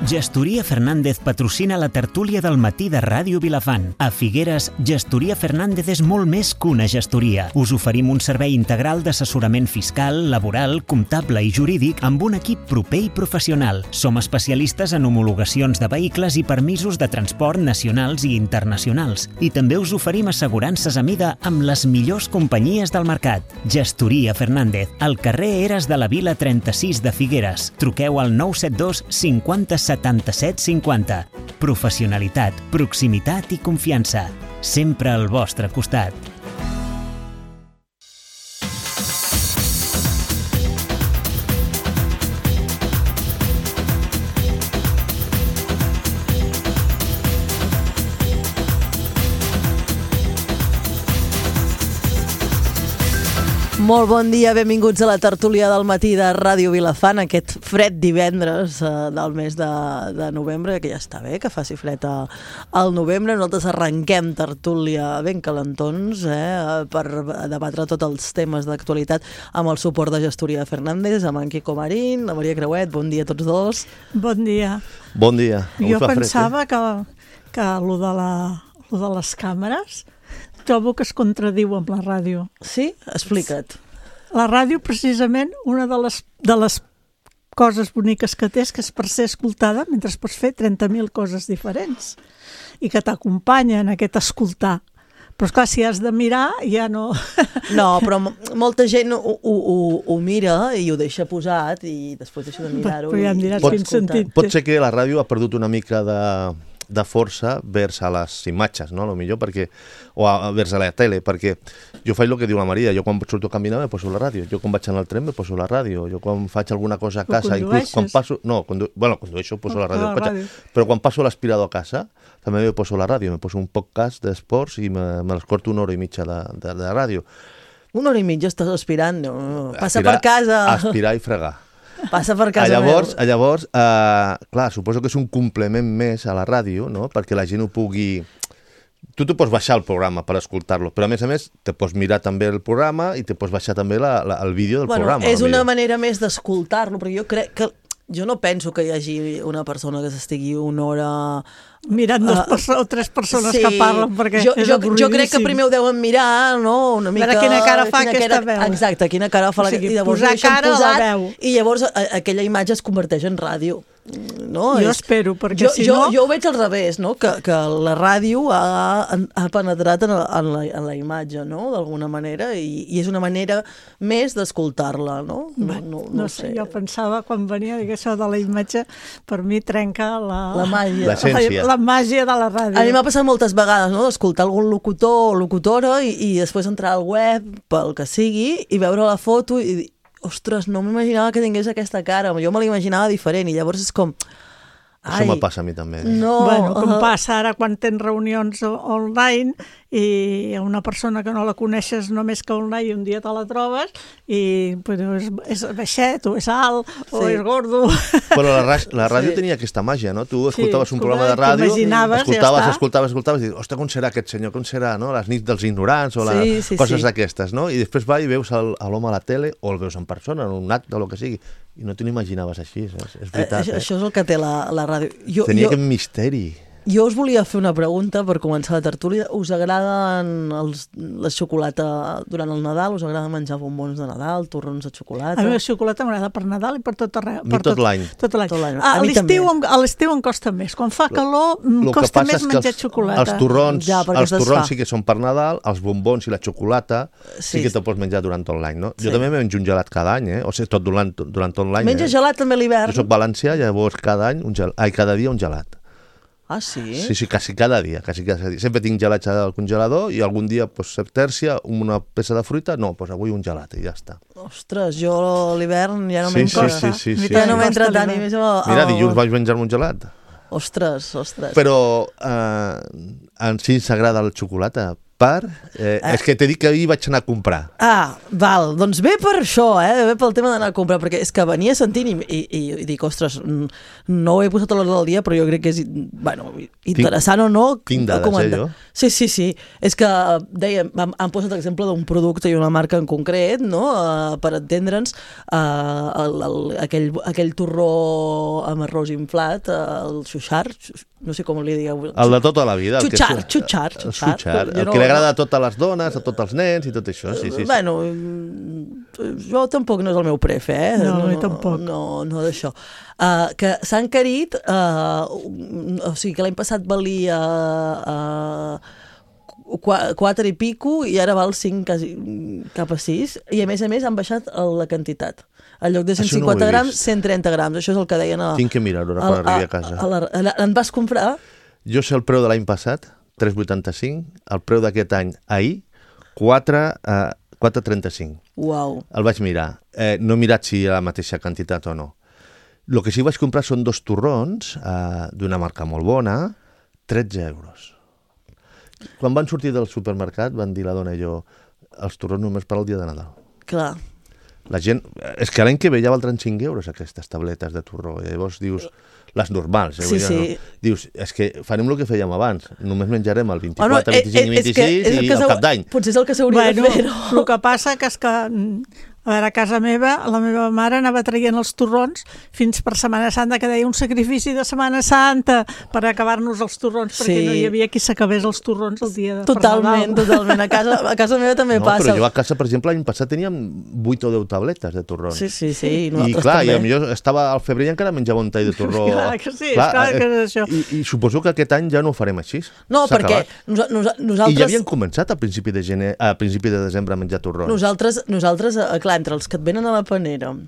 Gestoria Fernández patrocina la tertúlia del matí de Ràdio Vilafant. A Figueres, Gestoria Fernández és molt més que una gestoria. Us oferim un servei integral d'assessorament fiscal, laboral, comptable i jurídic amb un equip proper i professional. Som especialistes en homologacions de vehicles i permisos de transport nacionals i internacionals. I també us oferim assegurances a mida amb les millors companyies del mercat. Gestoria Fernández, al carrer Eres de la Vila 36 de Figueres. Truqueu al 972 50 77 50. Professionalitat, proximitat i confiança. Sempre al vostre costat. Molt bon dia, benvinguts a la tertúlia del matí de Ràdio Vilafant, aquest fred divendres del mes de novembre, que ja està bé, que faci fred al novembre. Nosaltres arrenquem tertúlia ben calentons per debatre tots els temes d'actualitat amb el suport de Gestoria Fernández, amb en Quico Marín, la Maria Creuet. Bon dia a tots dos. Bon dia. Bon dia. Jo pensava que lo de les càmeres trobo que es contradiu amb la ràdio. Sí? Explica't. La ràdio, precisament, una de les coses boniques que té és que és per ser escoltada mentre pots fer 30.000 coses diferents i que t'acompanyen en aquest escoltar. Però, esclar, si has de mirar, ja no... No, però molta gent ho mira i ho deixa posat i després deixa de mirar-ho. Però ja em diràs quin sentit. Pot ser que la ràdio ha perdut una mica de força vers a les imatges, no? Potser perquè, o vers a la tele, perquè jo faig el que diu la Maria, jo quan surto a caminar me poso la ràdio, jo quan vaig en el tren me poso la ràdio, jo quan faig alguna cosa a casa, inclús quan passo... No, condueixo, poso la ràdio, però quan passo l'aspirador a casa també me poso la ràdio, me poso un podcast d'esports i me l'escorto 1 hora i mitja de ràdio. 1 hora i mitja estàs aspirant, no? Passa per casa. Aspirar i fregar. Passa per casa llavors, clar, suposo que és un complement més a la ràdio, no? Perquè la gent ho pugui... Tu t'ho pots baixar el programa per escoltar-lo, però a més te pots mirar també el programa i te pots baixar també el vídeo del programa. És una manera més d'escoltar-lo, però jo crec que... Jo no penso que hi hagi una persona que s'estigui 1 hora... mirant 2 o 3 persones que parlen, perquè és avorridíssim. Jo crec que primer ho deuen mirar, no? Una mica... Veure quina cara fa aquesta veu. Exacte, quina cara fa la... O sigui, posar cara a la veu. I llavors aquella imatge es converteix en ràdio. No? Jo espero, perquè si no... Jo ho veig al revés, no? Que la ràdio ha penetrat en la imatge, no? D'alguna manera, i és una manera més d'escoltar-la, no? No sé, jo pensava, quan venia a dir això de la imatge, per mi trenca la màgia. L'essència. La màgia de la ràdio. A mi m'ha passat moltes vegades, no? D'escoltar algun locutor o locutora i després entrar al web, pel que sigui, i veure la foto i dir, ostres, no m'imaginava que tingués aquesta cara, jo me l'imaginava diferent i llavors és com... Això me passa a mi també. No, bueno, com passa ara quan tens reunions online i una persona que no la coneixes només que online i un dia te la trobes i és baixet o és alt o és gordo. Però la ràdio tenia aquesta màgia, no? Tu escoltaves un programa de ràdio, escoltaves i dius, ostres, com serà aquest senyor, com serà, no? Les nits dels ignorants o coses d'aquestes, no? I després va i veus l'home a la tele o el veus en persona, en un acte o el que sigui, i no te n'imaginaves així, és veritat. Això és el que té la ràdio. Tenia aquest misteri. Jo us volia fer una pregunta per començar la tertúlia. Us agraden la xocolata durant el Nadal? Us agrada menjar bombons de Nadal, torrons de xocolata? A mi la xocolata m'agrada per Nadal i per tot arreu. A mi tot l'any. A l'estiu em costa més. Quan fa calor costa més menjar xocolata. Els torrons sí que són per Nadal, els bombons i la xocolata sí que te pots menjar durant tot l'any, no? Jo també menjo un gelat cada any, o sigui, durant tot l'any. Menja gelat també a l'hivern? Jo soc valencià, llavors cada dia un gelat. Ah, sí? Sí, quasi cada dia. Sempre tinc gelats al congelador i algun dia, tèrcia, una peça de fruita, avui un gelat i ja està. Ostres, jo a l'hivern ja no m'encosta. Sí. Ja no m'entra tant. Mira, dilluns vaig menjar-me un gelat. Ostres. Però en si ens agrada el xocolata, És que t'he dit que ahir vaig anar a comprar. Val, doncs ve per això, ve pel tema d'anar a comprar, perquè és que venia sentint i dic, ostres, no ho he posat a l'hora del dia, però jo crec que és, interessant o no. Tinc dades, jo? Sí. És que, dèiem, han posat l'exemple d'un producte i una marca en concret, no?, per entendre'ns, aquell torró amb arròs inflat, el xuxar, no sé com li digueu. El de tota la vida. Xuxar. El que li agrada a totes les dones, a tots els nens i tot això. Sí. Bueno, jo tampoc no és el meu prefe, No, tampoc. No d'això. Que s'ha encarit, o sigui que l'any passat valia 4 i pico i ara val 5 quasi, cap a 6, i a més han baixat la quantitat. En lloc de 150 grams, 130 grams. Això és el que deien Tinc que mirar-ho ara quan arribi a casa. En vas comprar? Jo sé el preu de l'any passat, 3,85, el preu d'aquest any, ahir, 4,35. Uau. El vaig mirar. No he mirat si hi ha la mateixa quantitat o no. El que sí vaig comprar són 2 torrons d'una marca molt bona, 13 euros. Quan van sortir del supermercat van dir la dona i jo, els torrons només per al dia de Nadal. Clar. La gent... És que l'any que ve ja valdran 5 euros aquestes tabletes de torró. I llavors dius, les normals. Sí. No? Dius, és que farem el que fèiem abans. Només menjarem el 24, 25 i 26 i el cap d'any. Potser és el que s'hauria de fer, no? El que passa que és que... A veure, a casa meva, la meva mare anava traient els torrons fins per Setmana Santa, que deia un sacrifici de Setmana Santa per acabar-nos els torrons, perquè no hi havia qui s'acabés els torrons el dia de Totalment. A casa meva també passa. Però jo a casa, per exemple, l'any passat teníem 8 o 10 tabletes de torrons. Sí. I clar, i potser estava al febrer i encara menjava un tall de torró. Clar que sí, clar que és això. I suposo que aquest any ja no ho farem així. No, perquè nosaltres... I ja havien començat a principi de desembre a menjar torrons. Nosaltres, clar, entre els que et venen a la panera i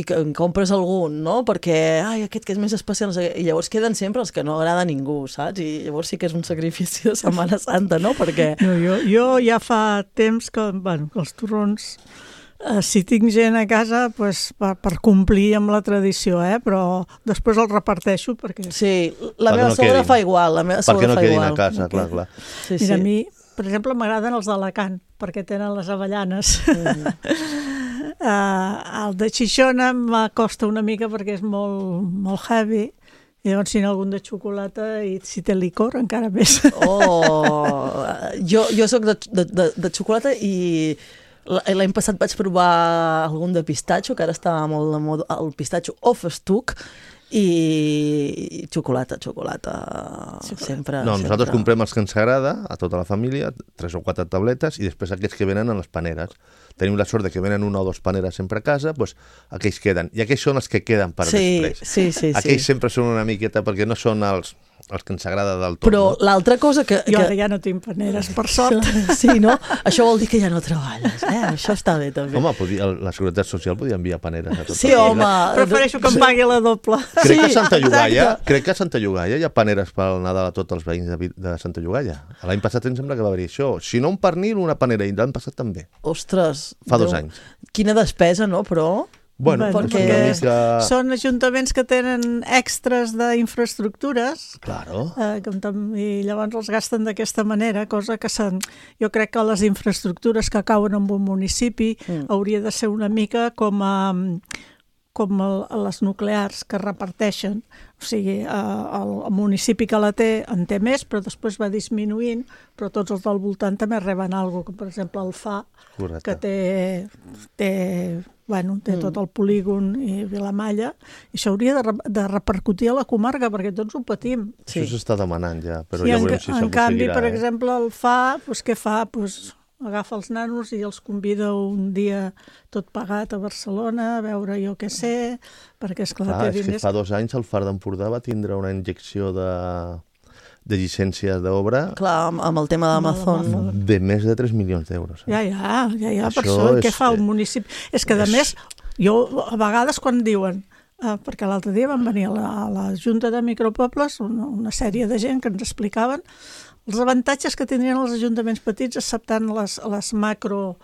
que en compres algun, no? Perquè, aquest que és més especial, no sé, i llavors queden sempre els que no agrada a ningú, saps? I llavors sí que és un sacrifici de Setmana Santa, no? Perquè... No, jo ja fa temps que, que els torrons, si tinc gent a casa, pues, per complir amb la tradició, però després els reparteixo perquè... Sí, la meva sogra fa igual, perquè no quedin a casa, clar. Sí. Mira, a mi, per exemple, m'agraden els d'Alacant, perquè tenen les avellanes. El de Xixona m'acosta una mica perquè és molt heavy, i llavors si n'hi ha algun de xocolata i si té licor encara més. Jo soc de xocolata i l'any passat vaig provar algun de pistatxo, que ara està molt de moda, el pistatxo o festuc, i xocolata sempre. No, nosaltres comprem els que ens agrada a tota la família, 3 o 4 tabletes, i després aquests que venen a les paneres. Tenim la sort de que venen 1 o 2 paneres sempre a casa, doncs aquells queden. I aquells són els que queden per després. Sí. Aquells sempre són una miqueta, perquè no són els que ens agrada del tot. Però l'altra cosa que... Jo ara ja no tinc paneres, per sort. Sí, no? Això vol dir que ja no treballes, Això està bé, també. Home, la Seguretat Social podia enviar paneres a totes. Sí, home. Prefereixo que em pagui la doble. Crec que a Santa Llogaia hi ha paneres pel Nadal a tots els veïns de Santa Llogaia. L'any passat em sembla que va haver això. Si no un pernil, una panera, i l'any passat també. Ostres. Fa 2 anys. Quina despesa, no? Però... Bueno, perquè són ajuntaments que tenen extras d'infraestructures. Claro. I llavors els gasten d'aquesta manera, cosa que jo crec que les infraestructures que cauen en un municipi hauria de ser una mica com les nuclears que reparteixen. O sigui, el municipi que la té en té més, però després va disminuint, però tots els del voltant també reben alguna cosa, com per exemple el FA, que té tot el polígon i Vilamalla, i això hauria de repercutir a la comarca, perquè tots ho patim. Això s'està demanant ja, però ja veurem si s'aconseguirà. En canvi, per exemple, el FA, què fa? Agafa els nanos i els convida un dia tot pagat a Barcelona, a veure jo què sé, perquè esclar, té diners. És que fa 2 anys el Far d'Empordà va tindre una injecció de llicències d'obra... Clar, amb el tema d'Amazon. De més de 3 milions d'euros. Ja, per això, què fa un municipi? És que, a més, jo a vegades quan diuen, perquè l'altre dia van venir a la Junta de Micropobles una sèrie de gent que ens explicaven els avantatges que tindrien els ajuntaments petits acceptant les macro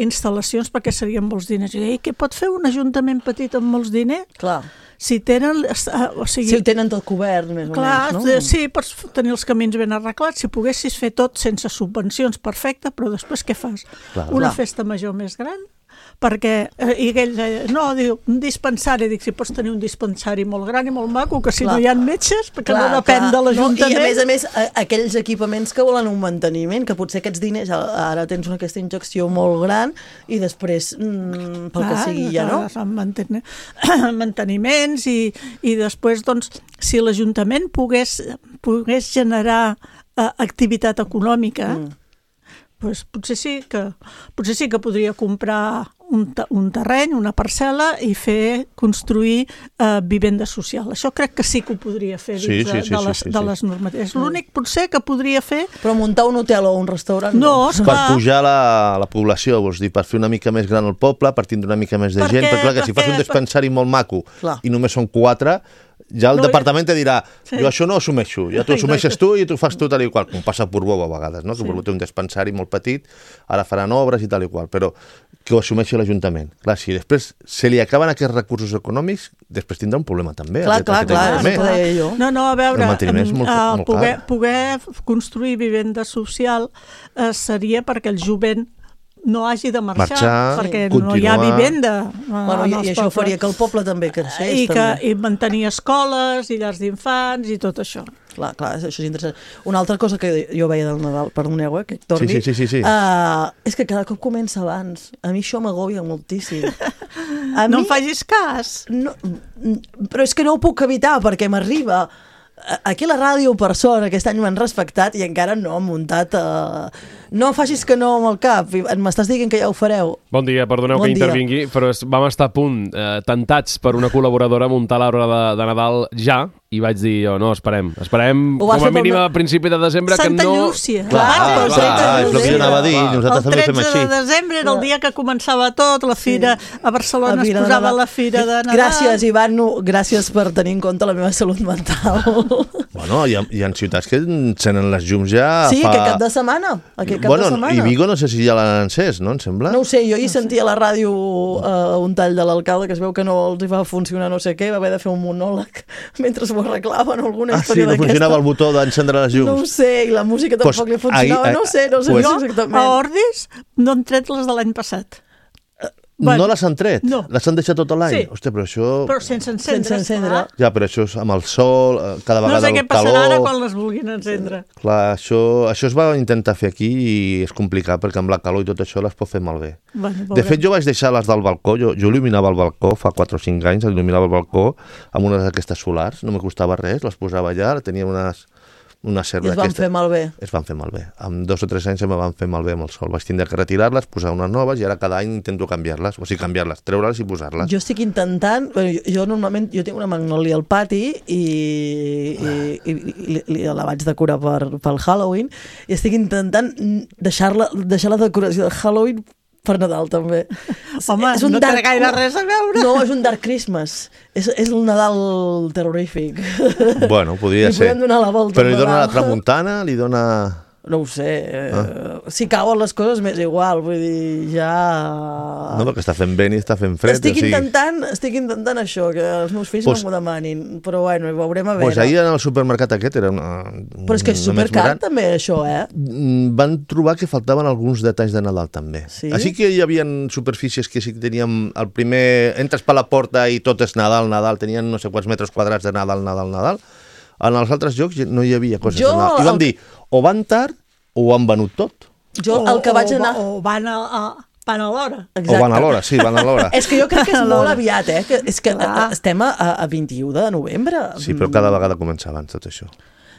instal·lacions perquè serien molts diners. I què pot fer un ajuntament petit amb molts diners? Clar. Si tenen... Si ho tenen tot cobert, més o menys, no? Sí, pots tenir els camins ben arreglats. Si poguessis fer tot sense subvencions, perfecte, però després què fas? Una festa major més gran? Perquè, i ell deia, no, diu, un dispensari, dic, si pots tenir un dispensari molt gran i molt maco, que si no hi ha metges, perquè no depèn de l'Ajuntament. I a més, aquells equipaments que volen un manteniment, que potser aquests diners, ara tens aquesta injecció molt gran i després, pel que sigui, ja no? Manteniments i després, doncs, si l'Ajuntament pogués generar activitat econòmica, doncs potser sí que podria comprar un terreny, una parcel·la i construir vivenda social. Això crec que sí que ho podria fer dins de les normatives. L'únic potser que podria fer... Però muntar un hotel o un restaurant no. Per pujar la població, vols dir, per fer una mica més gran el poble, per tindre una mica més de gent, perquè clar, que si fas un dispensari molt maco i només són 4, ja el departament te dirà, jo això no ho assumeixo, ja t'ho assumeixes tu i t'ho fas tu tal i qual, com passa a Portbou a vegades, no? Que Portbou té un dispensari molt petit, ara faran obres i tal i qual, però que ho assumeixi l'Ajuntament. Clar, si després se li acaben aquests recursos econòmics, després tindrà un problema també. Clar, és el que deia jo. No, a veure, poder construir vivenda social seria perquè el jovent no hagi de marxar perquè no hi ha vivenda. I això faria que el poble també creixés. I mantenir escoles i llars d'infants i tot això. Clar, això és interessant. Una altra cosa que jo veia del Nadal, perdoneu, que torni, sí. És que cada cop comença abans. A mi això m'agòbia moltíssim. No em facis cas. Però és que no ho puc evitar perquè m'arriba... Aquí a la ràdio, per sort, aquest any m'han respectat i encara no han muntat... No facis que no amb el cap, m'estàs dient que ja ho fareu. Bon dia, perdoneu que intervingui, però vam estar a punt, tentats per una col·laboradora a muntar l'arbre de Nadal ja, i vaig dir, no, esperem com a mínim a principi de desembre que no... Santa Llúcia. Clar, és el que jo anava a dir, nosaltres també fem així. El 13 de desembre era el dia que començava tot, la fira a Barcelona es posava la fira de Nadal. Gràcies, Ivan, gràcies per tenir en compte la meva salut mental. Bueno, hi ha ciutats que encenen les llums ja sí, aquest cap de setmana. I Vigo no sé si ja l'han encès, no? Em sembla. No ho sé, jo hi sentia a la ràdio un tall de l'alcalde que es veu que no els hi va funcionar no sé què, va haver de fer un monòleg mentre ho arreglaven alguna història d'aquesta. No funcionava el botó d'encendre les llums. No ho sé, i la música tampoc li funcionava, no sé exactament. A Ordis no han tret les de l'any passat. No les han tret? No. Les han deixat tot l'any? Sí. Hòstia, però això... Però sense encendre. Ja, però això és amb el sol, cada vegada el calor... No sé què passarà ara quan les vulguin encendre. Clar, això es va intentar fer aquí i és complicat perquè amb la calor i tot això les pot fer malbé. De fet, jo vaig deixar les del balcó, jo il·luminava el balcó fa 4 o 5 anys, il·luminava el balcó amb unes d'aquestes solars, no me costava res, les posava allà, tenia una I es van fer malbé. Es van fer malbé. Amb 2 o 3 anys me van fer malbé amb el sol. Vaig tindre que retirar-les, posar unes noves i ara cada any intento canviar-les. O sigui, canviar-les, treure-les i posar-les. Jo estic intentant... Jo normalment tinc una magnòlia al pati i la vaig decorar pel Halloween i estic intentant deixar la decoració de Halloween per Nadal, també. Home, no té gaire res a veure. No, és un Dark Christmas. És el Nadal terrorífic. Bueno, podria ser. Li podem donar la volta. Però li dona la tramuntana, li dona... No ho sé. Si cauen les coses m'és igual, vull dir, ja... No, perquè està fent vent i està fent fred. Estic intentant això, que els meus fills no m'ho demanin, però bueno, ho veurem a veure. Pues ahir en el supermercat aquest era Però és que és supercar també, això, Van trobar que faltaven alguns detalls de Nadal també. Sí? Així que hi havia superfícies que sí que teníem el primer... Entres per la porta i tot és Nadal, tenien no sé quants metres quadrats de Nadal. En els altres llocs no hi havia coses de Nadal. I van dir, o van tard o ho han venut tot. Jo el que vaig anar... O van a l'hora. Exacte. O van a l'hora, sí, van a l'hora. És que jo crec que és molt aviat, És que estem a 21 de novembre. Sí, però cada vegada comença abans tot això.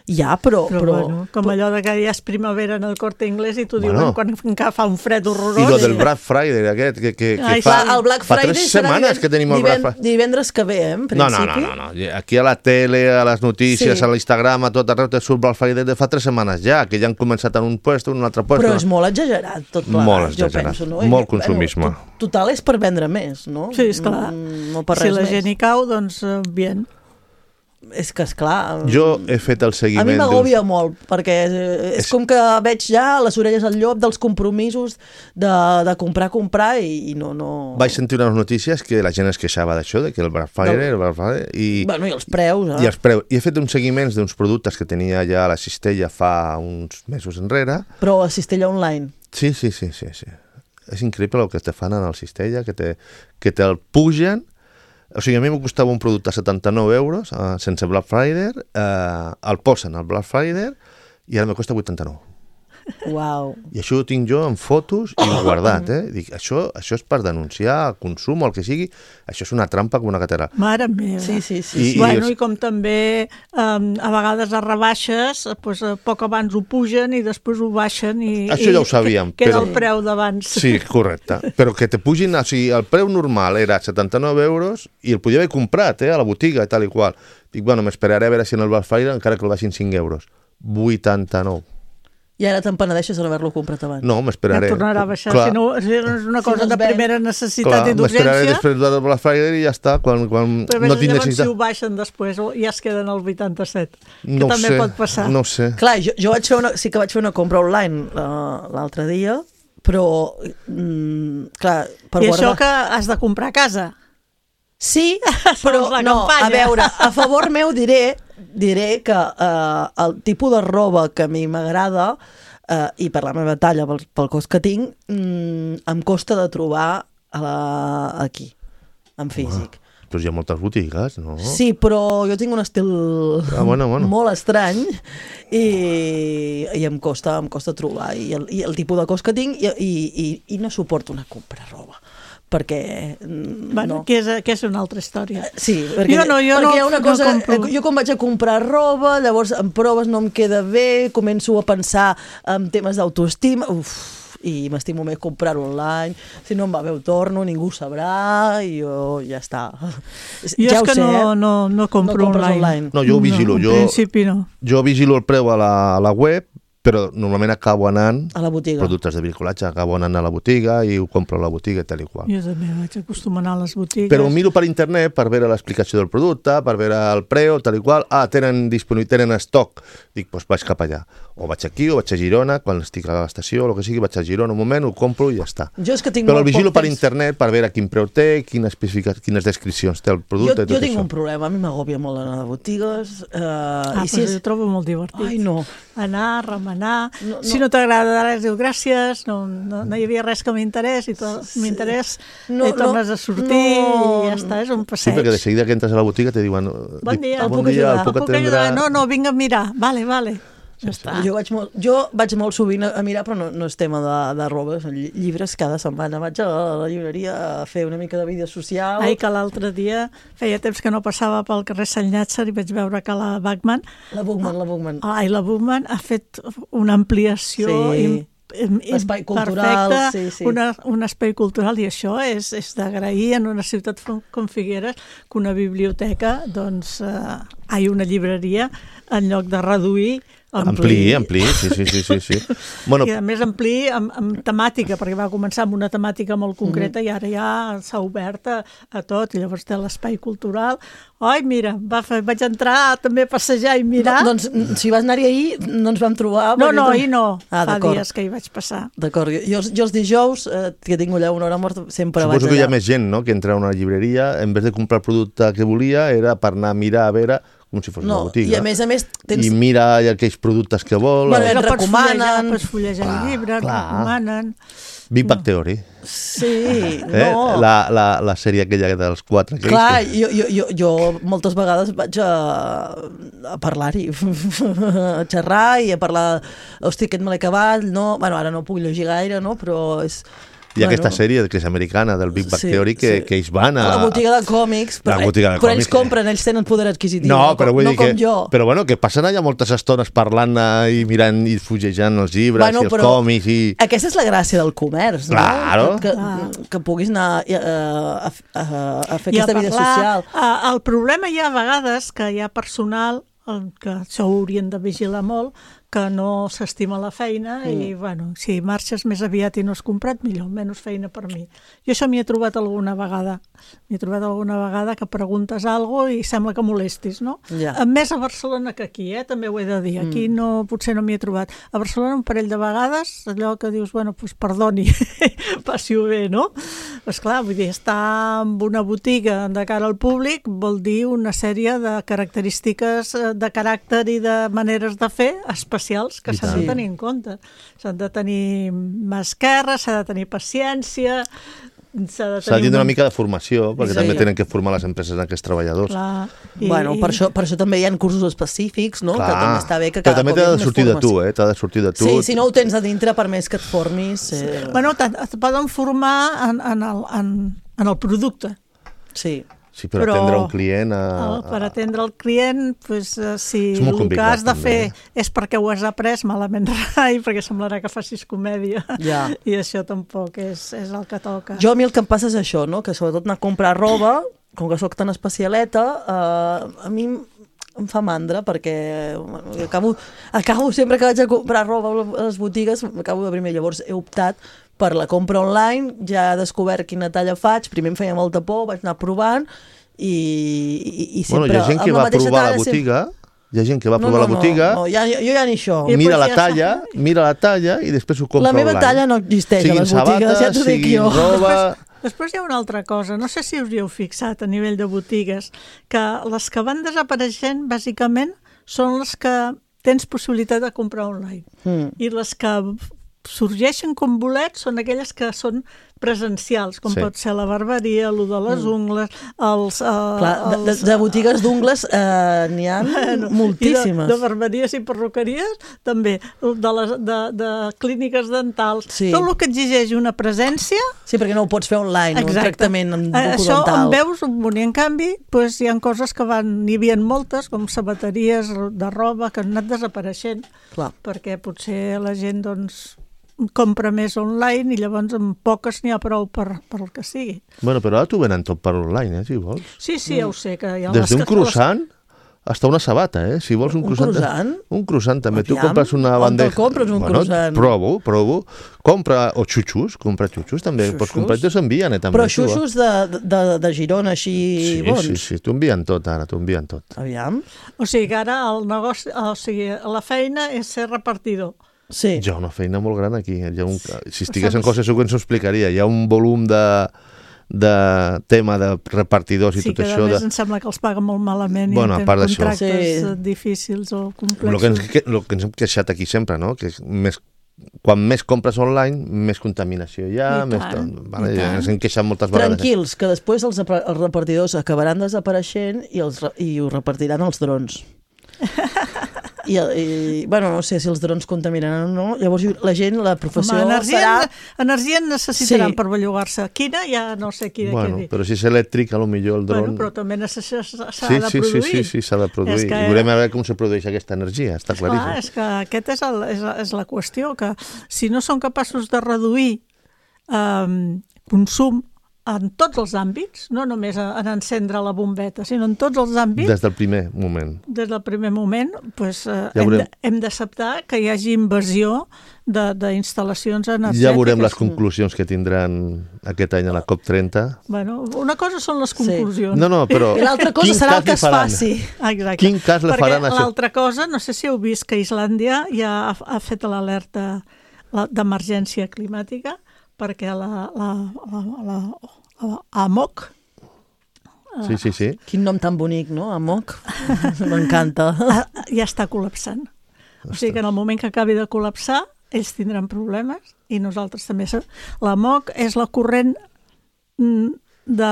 Ja, però bueno, com allò de que ja és primavera en el Corte Inglés i t'ho diuen quan fa un fred horrorós. I lo del Black Friday aquest, que el Black Friday 3 setmanes que tenim el Black Friday. Divendres que ve, en principi. No. Aquí a la tele, a les notícies, a l'Instagram, a tot arreu te surt Black Friday de fa 3 setmanes ja, que ja han començat en un puesto, en un altre puesto. Però és molt exagerat tot plegat. Molt exagerat, molt consummisme. Total és per vendre més, no? Sí, esclar. No per res més. Si la gent hi cau, doncs bien. és que, esclar... Jo he fet el seguiment... A mi m'agòbia molt, perquè és com que veig ja les orelles al llop dels compromisos de comprar i no... Vaig sentir unes notícies que la gent es queixava d'això, que el Black Friday... Bueno, i els preus, I els preus. I he fet uns seguiments d'uns productes que tenia ja a la Cistella fa uns mesos enrere. Però a Cistella Online. Sí. És increïble el que te fan en el Cistella, que te'l pugen. O sigui, a mi m'ho costava un producte a 79 euros, sense Black Friday, el posen al Black Friday i ara me costa 89. Uau. I això ho tinc jo en fotos i guardat, Dic, això és per denunciar consum o el que sigui, això és una trampa com una catedral. Mare meva. Sí. Bueno, i com també a vegades a rebaixes, doncs, poc abans ho pugen i després ho baixen i això ja ho sabíem. Queda el preu d'abans. Sí, correcte. Però que te pugin, o sigui, el preu normal era 79 euros i el podia haver comprat a la botiga i tal i qual. Dic, bueno, m'esperaré a veure si en el Black Friday encara que el baixin 5 euros. 89. I ara te'n penedeixes de no haver-lo comprat abans. No, m'esperaré. Ja tornarà a baixar, si no és una cosa de primera necessitat i d'urgència. M'esperaré després del Black Friday i ja està, quan però no tinc necessitat. Si ho baixen després ja es queden al 87, que també pot passar. No sé. Clar, jo sí que vaig fer una compra online l'altre dia, però, clar, per guardar... I això que has de comprar a casa? Sí, però no, a veure, a favor meu diré que el tipus de roba que a mi m'agrada i per la meva talla, pel cos que tinc, em costa de trobar aquí, en físic. Però hi ha moltes botigues, no? Sí, però jo tinc un estil molt estrany i em costa trobar i el tipus de cos que tinc i no suporto una compra roba. Perquè... Bueno, que és una altra història. Sí, perquè hi ha una cosa... Jo quan vaig a comprar roba, llavors en proves no em queda bé, començo a pensar en temes d'autoestima, i m'estimo més comprar-ho online, si no em va bé ho torno, ningú ho sabrà i jo ja està. Jo és que no compro online. No, jo ho vigilo. En principi no. Jo vigilo el preu a la web, però normalment acabo anant a la botiga. Productes de bricolatge, acabo anant a la botiga i ho compro a la botiga i tal i qual. Jo també vaig acostumar a les botigues. Però ho miro per internet per veure l'explicació del producte, per veure el preu, tal i qual. Tenen estoc. Dic, doncs vaig cap allà. O vaig aquí, o vaig a Girona, quan estic a l'estació, o el que sigui, vaig a Girona un moment, ho compro i ja està. Però el vigilo per internet per veure quin preu té, quines descripcions té el producte. Jo tinc un problema, a mi m'agòbia molt anar a botigues. Jo trobo molt divertit. Ai, no. Anar, remenar... Si no t'agrada res, diu gràcies, no hi havia res que m'interès i tornes a sortir i ja està, és un passeig. Sí, perquè de seguida que entres a la botiga te diuen bon dia, el puc ajudar? No, vinc a mirar, vale. Ja està. Jo vaig molt sovint a mirar, però no és tema de roba, són llibres cada setmana. Vaig a la llibreria a fer una mica de vida social. Que l'altre dia feia temps que no passava pel carrer Sant Llàtzer i vaig veure que la Bachmann... La Bachmann. La Bachmann ha fet una ampliació espai cultural, perfecte, un espai cultural, i això és d'agrair en una ciutat com Figueres que una biblioteca, una llibreria, en lloc de reduir, ampliï, sí. Bueno, i a més ampliï amb temàtica, perquè va començar amb una temàtica molt concreta i ara ja s'ha obert a tot, i llavors té l'espai cultural. Mira, vaig entrar també a passejar i mirar. Doncs si vas anar-hi ahir no ens vam trobar. Ahir no, fa dies que hi vaig passar. D'acord, jo els dijous, que tinc allà una hora morta, sempre vaig allà. Suposo que hi ha més gent, no?, que entra a una llibreria, en vez de comprar el producte que volia, era per anar a mirar, a veure, com si fos una botiga. I a més tens... I mira aquells productes que vol. Et recomanen. Pots fullejar el llibre, et recomanen. Big Bang Theory. Sí, no. La sèrie aquella dels 4. Clar, jo moltes vegades vaig a parlar-hi, a xerrar i a parlar, hosti, aquest me l'he acabat, no? Bueno, ara no puc llegir gaire, no? Però és... Hi ha aquesta sèrie que és americana, del Big Bang Theory, que ells van a... la botiga de còmics, però ells compren, ells tenen poder adquisitiu, no com jo. Però bueno, que passen allà moltes estones parlant i mirant i fullejant els llibres i els còmics i... Aquesta és la gràcia del comerç, no? Claro. Que puguis anar a fer aquesta vida social. El problema hi ha a vegades que hi ha personal, que això ho haurien de vigilar molt, que no s'estima la feina i, bueno, si marxes més aviat i no has comprat, millor, menys feina per mi. Jo això m'hi he trobat alguna vegada. Que preguntes alguna cosa i sembla que molestis, no? Ja. Més a Barcelona que aquí, també ho he de dir. Aquí potser no m'hi he trobat. A Barcelona un parell de vegades, allò que dius, bueno, doncs perdoni, passi-ho bé, no? Esclar, vull dir, estar en una botiga de cara al públic vol dir una sèrie de característiques de caràcter i de maneres de fer especials que s'han de tenir en compte. S'han de tenir mà esquerra, s'ha de tenir paciència, s'ha de tindre una mica de formació, perquè també tenen que formar les empreses en aquests treballadors. Bueno, per això també hi ha cursos específics, no? Que també està bé que cada cop hi ha més formació. Però també t'ha de sortir de tu, Sí, si no ho tens a dintre, per més que et formis... Bueno, et poden formar en el producte. Sí. Sí, però atendre un client... Per atendre el client, si el que has de fer és perquè ho has après, malament rai, perquè semblarà que facis comèdia. I això tampoc és el que toca. Jo a mi el que em passa és això, no? Que sobretot anar a comprar roba, com que soc tan especialeta, a mi em fa mandra, perquè acabo sempre que vaig a comprar roba a les botigues, acabo de primer. Llavors he optat per la compra online, ja he descobert quina talla faig, primer em feia molta por, vaig anar provant i sempre... Bueno, hi ha gent que va provar la botiga, hi ha gent que va provar la botiga, jo ja ni això. Mira la talla i després ho compra online. La meva talla no existeix a les botigues, ja t'ho dic jo. Roba... Després hi ha una altra cosa, no sé si us hi heu fixat a nivell de botigues, que les que van desapareixent, bàsicament, són les que tens possibilitat de comprar online. I les que sorgeixen com bolets són aquelles que són presencials, com pot ser la barberia, el de les ungles, de botigues d'ungles n'hi ha moltíssimes. De barberies i perruqueries, també, de clíniques dentals. Tot el que exigeix una presència... Sí, perquè no ho pots fer online, un tractament bucodental. Això en veus un munt, i en canvi hi ha coses que n'hi havia moltes, com sabateries de roba, que han anat desapareixent, perquè potser la gent, doncs, compra més online i llavors amb poques n'hi ha prou per el que sigui. Bueno, però ara t'ho venen tot per online, si vols. Sí, ja ho sé. Des d'un croissant hasta una sabata, si vols un croissant. Un croissant? Un croissant, també. Tu compres una bandeja... On te'l compres, un croissant? Provo. Compra, o xutxus, també. Pots comprar i t'ho envien, també. Però xutxus de Girona, així bons? Sí, t'ho envien tot, ara, t'ho envien tot. Aviam. O sigui que ara el negoci, la feina és ser repartidor. Sí. Hi ha una feina molt gran aquí. Si estigués en coses segur que ens ho explicaria. Hi ha un volum de tema de repartidors i tot això. Sí, que a més em sembla que els paguen molt malament i tenen contractes difícils o complexos. El que ens hem queixat aquí sempre, no? Que quan més compres online, més contaminació hi ha, ens hem queixat moltes vegades. Tranquils, que després els repartidors acabaran desapareixent i ho repartiran els drons. Bueno, no sé si els drons contaminaran o no, llavors la gent, la professió serà... Energia necessitaran per bellugar-se. Quina? Ja no sé quina. Bueno, però si és elèctric, potser el dron... Bueno, però també s'ha de produir. Sí, s'ha de produir. I veurem a veure com se produeix aquesta energia, està claríssim. És que aquesta és la qüestió, que si no són capaços de reduir consum en tots els àmbits, no només en encendre la bombeta, sinó en tots els àmbits... Des del primer moment. Des del primer moment, doncs, hem d'acceptar que hi hagi invasió d'instal·lacions energètiques. Ja veurem les conclusions que tindran aquest any a la COP30. Bueno, una cosa són les conclusions. No, però... I l'altra cosa serà el que es faci. Exacte. Quin cas le faran això? Perquè l'altra cosa, no sé si heu vist que Islàndia ja ha fet l'alerta d'emergència climàtica, perquè la AMOC... Sí. Quin nom tan bonic, no? AMOC. M'encanta. Ja està col·lapsant. O sigui que en el moment que acabi de col·lapsar, ells tindran problemes i nosaltres també. L'AMOC és la corrent de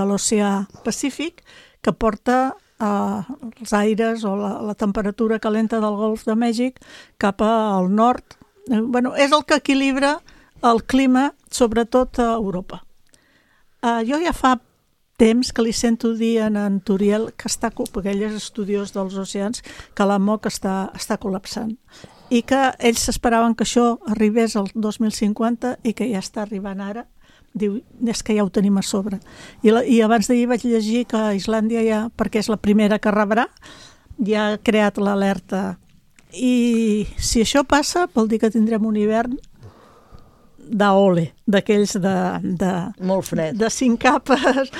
l'oceà Pacífic que porta els aires o la temperatura calenta del Golf de Mèxic cap al nord. Bueno, és el que equilibra el clima, sobretot a Europa. Jo ja fa temps que li sento dir a en Turiel, perquè ell és estudiós dels oceans, que l'AMOC està col·lapsant i que ells s'esperaven que això arribés al 2050 i que ja està arribant ara. Diu, és que ja ho tenim a sobre. I abans d'ahir vaig llegir que Islàndia ja, perquè és la primera que rebrà, ja ha creat l'alerta. I si això passa, vol dir que tindrem un hivern d'ole, d'aquells molt fred. De 5 capes.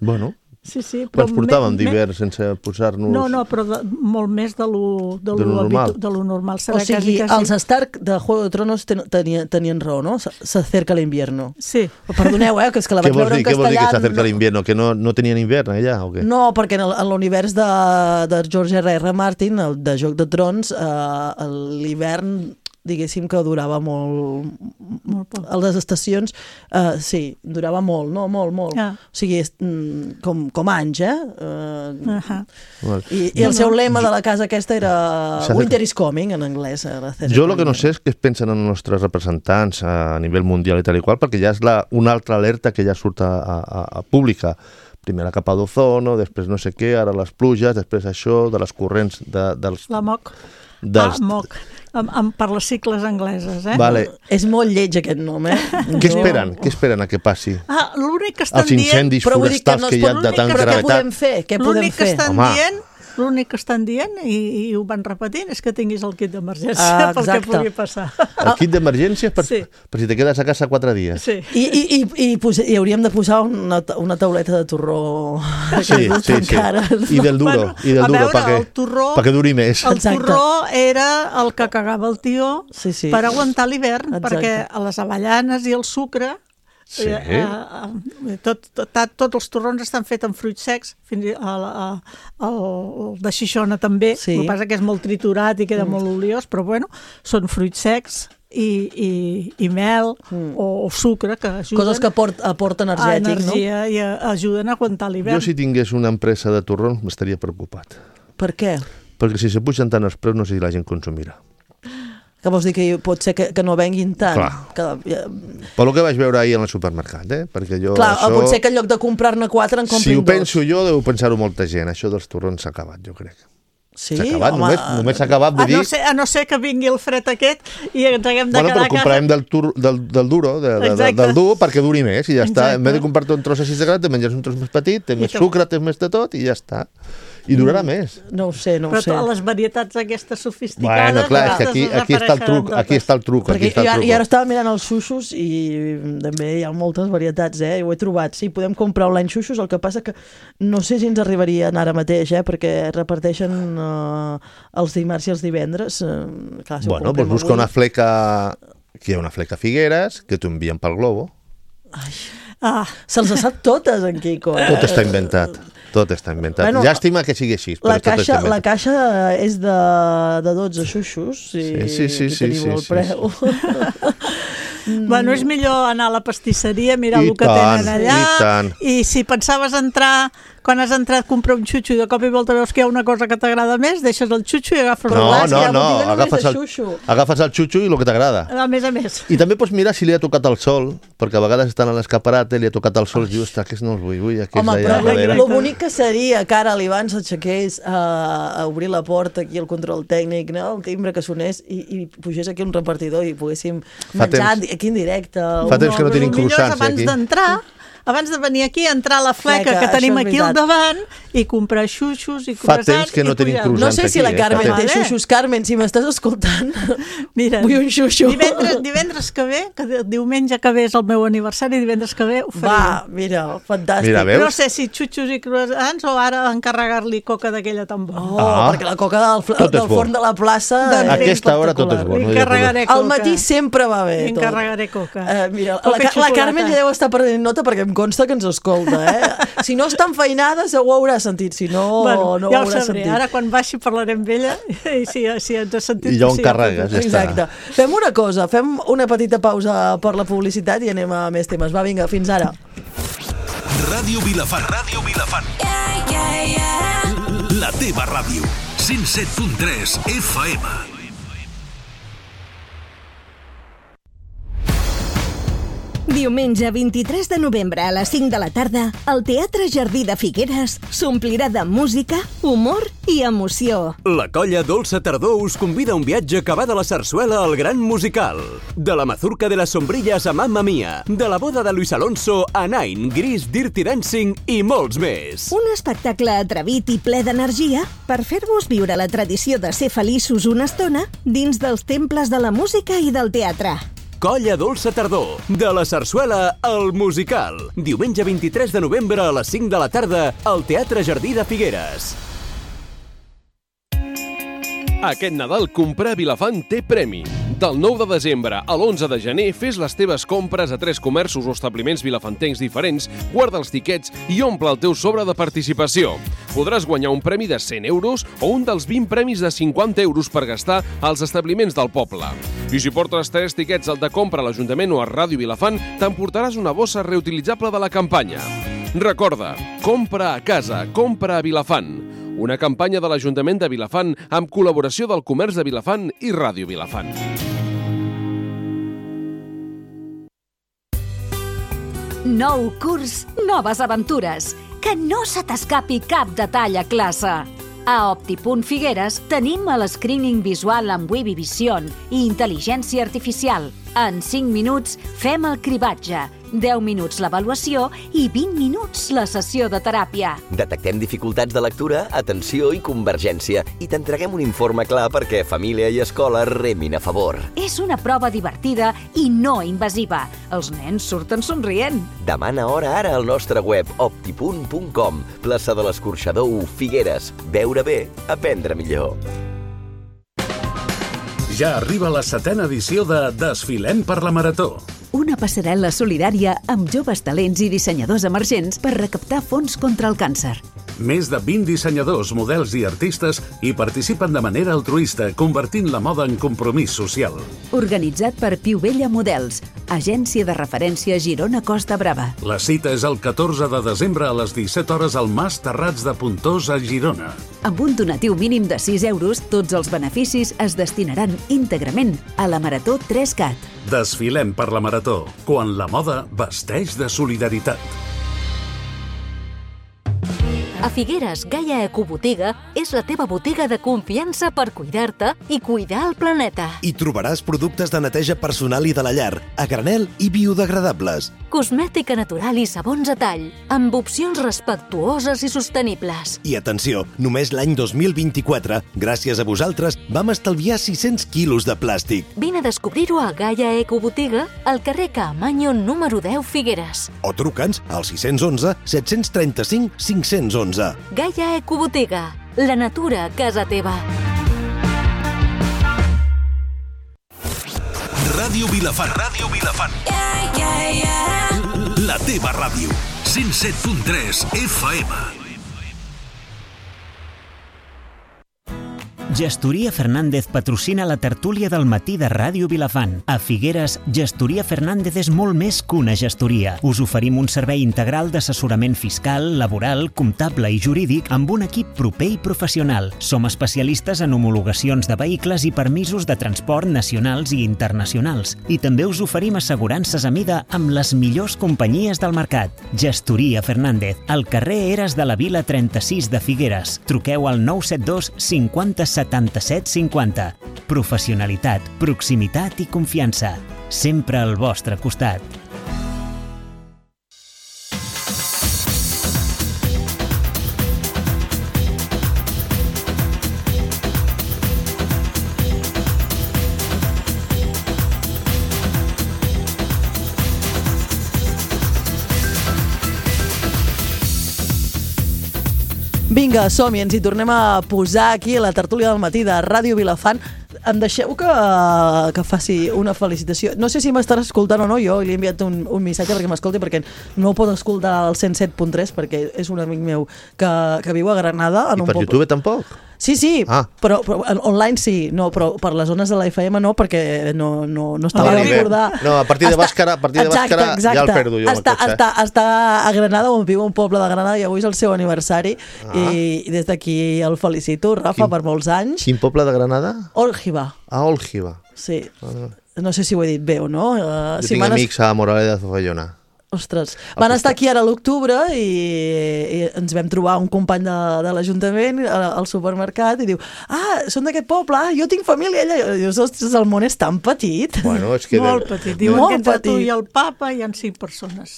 Bueno, sí, però ens portàvem d'hivern sense posar-nos... No, però molt més de lo normal. O sigui, els Stark de Juego de Tronos tenien raó, no? S'acerca l'invierno. Sí. Perdoneu, que és que la vaig veure en castellà... Què vol dir que s'acerca l'invierno? Que no tenien hivern allà o què? No, perquè en l'univers de George R.R. Martin, el de Joc de Trons, l'hivern... diguéssim que durava molt poc. A les estacions, sí, durava molt, no? Molt. O sigui, com anys, I el seu lema de la casa aquesta era Winter is coming, en anglès. Jo el que no sé és què es pensen els nostres representants a nivell mundial i tal i qual, perquè ja és una altra alerta que ja surt a pública. Primer la capa d'ozono, després no sé què, ara les pluges, després això, de les corrents dels... La MOC. MOC. Per les sigles angleses, Vale. És molt lleig aquest nom, Què esperen? Què esperen a que passi? L'únic que estan dient... Els incendis forestals que hi ha de tan gravetat. Què podem fer? L'únic que estan dient, i ho van repetint, és que tinguis el kit d'emergència pel que pugui passar. El kit d'emergència per si te quedes a casa 4 dies. Sí. I hauríem de posar una tauleta de torró. Sí. I del duro, perquè duri més. El torró era el que cagava el tió per aguantar l'hivern, perquè a les avellanes i el sucre... Sí. Tots els torrons estan fets amb fruits secs, fins el de Xixona també, el que passa que és molt triturat i queda molt oliós, però bueno, són fruits secs i mel o sucre que ajuden. Coses que aporten energia, i ajuden a aguantar l'hivern. Jo si tingués una empresa de torrons m'estaria preocupat. Per què? Perquè si se pugen tant els preus no sé si la gent consumirà. Que vols dir que pot ser que no venguin tant? Clar. Per lo que vaig veure ahir en el supermercat, perquè jo... Clar, pot ser que en lloc de comprar-ne 4 en comprin 2. Si ho penso jo, deu pensar-ho molta gent. Això dels torrons s'ha acabat, jo crec. Sí? S'ha acabat, només s'ha acabat de dir... A no ser que vingui el fred aquest i ens haguem de quedar a casa. Però comprarem del duro, del dur, perquè duri més i ja està. En vez de comprar-te un tros així de gran, te menges un tros més petit, té més sucre, té més de tot i ja està. I durarà més. No ho sé. Però les varietats aquestes sofisticades... Bueno, clar, és que aquí està el truc. I ara estava mirant els xuxos i també hi ha moltes varietats, ho he trobat. Sí, podem comprar online xuxos, el que passa que no sé si ens arribarien ara mateix, perquè reparteixen els dimarts i els divendres. Bueno, doncs busca una fleca... Aquí hi ha una fleca Figueres que t'ho envien pel Globo. Se'ls sap totes, en Quico. Tot està inventat. Tot està inventat. Bueno, llàstima que sigui així. La caixa és de 12 xuxos i tenim el preu. Bueno, és millor anar a la pastisseria, mirar el que tenen allà, i si pensaves entrar, quan has entrat a comprar un xutxo i de cop i volta veus que hi ha una cosa que t'agrada més, deixes el xutxo i agafes el glaç. No, agafes el xutxo i el que t'agrada. A més. I també pots mirar si li ha tocat el sol, perquè a vegades estan a l'escaparat, li ha tocat el sol i dius, aquests no els vull, aquests d'allà darrere. Lo bonic que seria que ara l'Ivan s'aixequés a obrir la porta aquí al control tècnic, el timbre que sonés i pugés aquí un repartidor i poguéssim menjar aquí en directe. Fa temps que no tenim croissants aquí. Abans de venir aquí, entrar a la fleca que tenim aquí al davant i comprar xuxos i croissants. Fa temps que no tenim croissants aquí. No sé si la Carmen té xuxos. Carmen, si m'estàs escoltant, vull un xuxo. Divendres que ve, que diumenge que ve és el meu aniversari, divendres que ve ho faré. Va, mira, fantàstic. No sé si xuxos i croissants o ara encarregar-li coca d'aquella tan bona. Perquè la coca del forn de la plaça... A aquesta hora tot és bo. Al matí sempre va bé. Encarregaré coca. Mira, la Carmen ja deu estar perdent nota perquè em consta que ens escolta, Si no està enfeinada, segur ho haurà sentit, si no, no ho haurà sentit. Ara quan baixi parlarem amb ella i si ens ha sentit... I ja ho encarregues, ja està. Exacte. Fem una cosa, fem una petita pausa per la publicitat i anem a més temes. Va, vinga, fins ara. Ràdio Vilafant. La teva ràdio. 107.3 FM. Diumenge 23 de novembre a les 5 de la tarda, el Teatre Jardí de Figueres s'omplirà de música, humor i emoció. La colla Dolça Tardor us convida a un viatge que va de la sarsuela al gran musical. De la mazurca de les sombrilles a Mamma Mia, de la boda de Luis Alonso a Nine, Gris, Dirty Dancing i molts més. Un espectacle atrevit i ple d'energia per fer-vos viure la tradició de ser feliços una estona dins dels temples de la música i del teatre. Colla Dolça Tardor, de la sarsuela al musical. Diumenge 23 de novembre a les 5 de la tarda al Teatre Jardí de Figueres. Aquest Nadal comprar a Vilafant té premi. Del 9 de desembre a l'11 de gener fes les teves compres a 3 comerços o establiments vilafantencs diferents, guarda els tiquets i omple el teu sobre de participació. Podràs guanyar un premi de 100 euros o un dels 20 premis de 50 euros per gastar als establiments del poble. I si portes 3 tiquets al de compra a l'Ajuntament o a Ràdio Vilafant, t'emportaràs una bossa reutilitzable de la campanya. Recorda, compra a casa, compra a Vilafant. Una campanya de l'Ajuntament de Vilafant amb col·laboració del Comerç de Vilafant i Ràdio Vilafant. Nou curs, noves aventures. Que no se t'escapi cap detall a classe. A Opti.Figueres tenim el screening visual amb Webby Vision i intel·ligència artificial. En 5 minuts fem el cribatge, 10 minuts l'avaluació i 20 minuts la sessió de teràpia. Detectem dificultats de lectura, atenció i convergència i t'entreguem un informe clar perquè família i escola remin a favor. És una prova divertida i no invasiva. Els nens surten somrient. Demana hora ara al nostre web opti.com, plaça de l'Escorxador 1, Figueres. Veure bé, aprendre millor. Ja arriba la 7ª edició de Desfilem per la Marató. Una passarel·la solidària amb joves talents i dissenyadors emergents per recaptar fons contra el càncer. Més de 20 dissenyadors, models i artistes hi participen de manera altruista, convertint la moda en compromís social. Organitzat per Piu Vella Models, agència de referència Girona Costa Brava. La cita és el 14 de desembre a les 17 hores al Mas Terrats de Pontós a Girona. Amb un donatiu mínim de 6 euros, tots els beneficis es destinaran íntegrament a la Marató 3CAT. Desfilem per la Marató, quan la moda vesteix de solidaritat. A Figueres, Gaia Ecobotiga és la teva botiga de confiança per cuidar-te i cuidar el planeta. Hi trobaràs productes de neteja personal i de la llar, a granel i biodegradables. Cosmètica natural i sabons a tall, amb opcions respectuoses i sostenibles. I atenció, només l'any 2024, gràcies a vosaltres, vam estalviar 600 quilos de plàstic. Vine a descobrir-ho a Gaia Ecobotiga, al carrer Caamaño número 10 Figueres. O truca'ns al 611 735 511. Gaia Ecobotiga, la natura a casa teva. Ràdio Vilafant. Ràdio Vilafant. La teva ràdio. 107.3 FM. Gestoria Fernández patrocina la tertúlia del matí de Ràdio Vilafant. A Figueres, Gestoria Fernández és molt més que una gestoria. Us oferim un servei integral d'assessorament fiscal, laboral, comptable i jurídic amb un equip proper i professional. Som especialistes en homologacions de vehicles i permisos de transport nacionals i internacionals. I també us oferim assegurances a mida amb les millors companyies del mercat. Gestoria Fernández, al carrer Eres de la Vila 36 de Figueres. Truqueu al 972 50 77 50. Professionalitat, proximitat i confiança. Sempre al vostre costat. Vinga, som-hi, ens hi tornem a posar aquí a la tertúlia del matí de Ràdio Vilafant. Em deixeu que faci una felicitació. No sé si m'estarà escoltant o no, jo li he enviat un missatge perquè m'escolti, perquè no ho pot escoltar al 107.3 perquè és un amic meu que viu a Granada. I per YouTube tampoc? Sí, però online sí, no, però per les zones de la FM no, perquè no estava a recordar. No, a partir de Bàscara ja el perdo jo. Està a Granada, on viu un poble de Granada, i avui és el seu aniversari, i des d'aquí el felicito, Rafa, per molts anys. Quin poble de Granada? Ólgiva. Ólgiva. Sí. no sé si ho he dit bé o no. Jo tinc amics a Moraleda de Zofallona. Ostres, van estar aquí ara a l'octubre i ens vam trobar un company de l'Ajuntament al supermercat i diu, són d'aquest poble, jo tinc família allà. I dius, ostres, el món és tan petit. Bueno, és que molt petit. Diuen que entre tu i el papa hi ha 5 persones.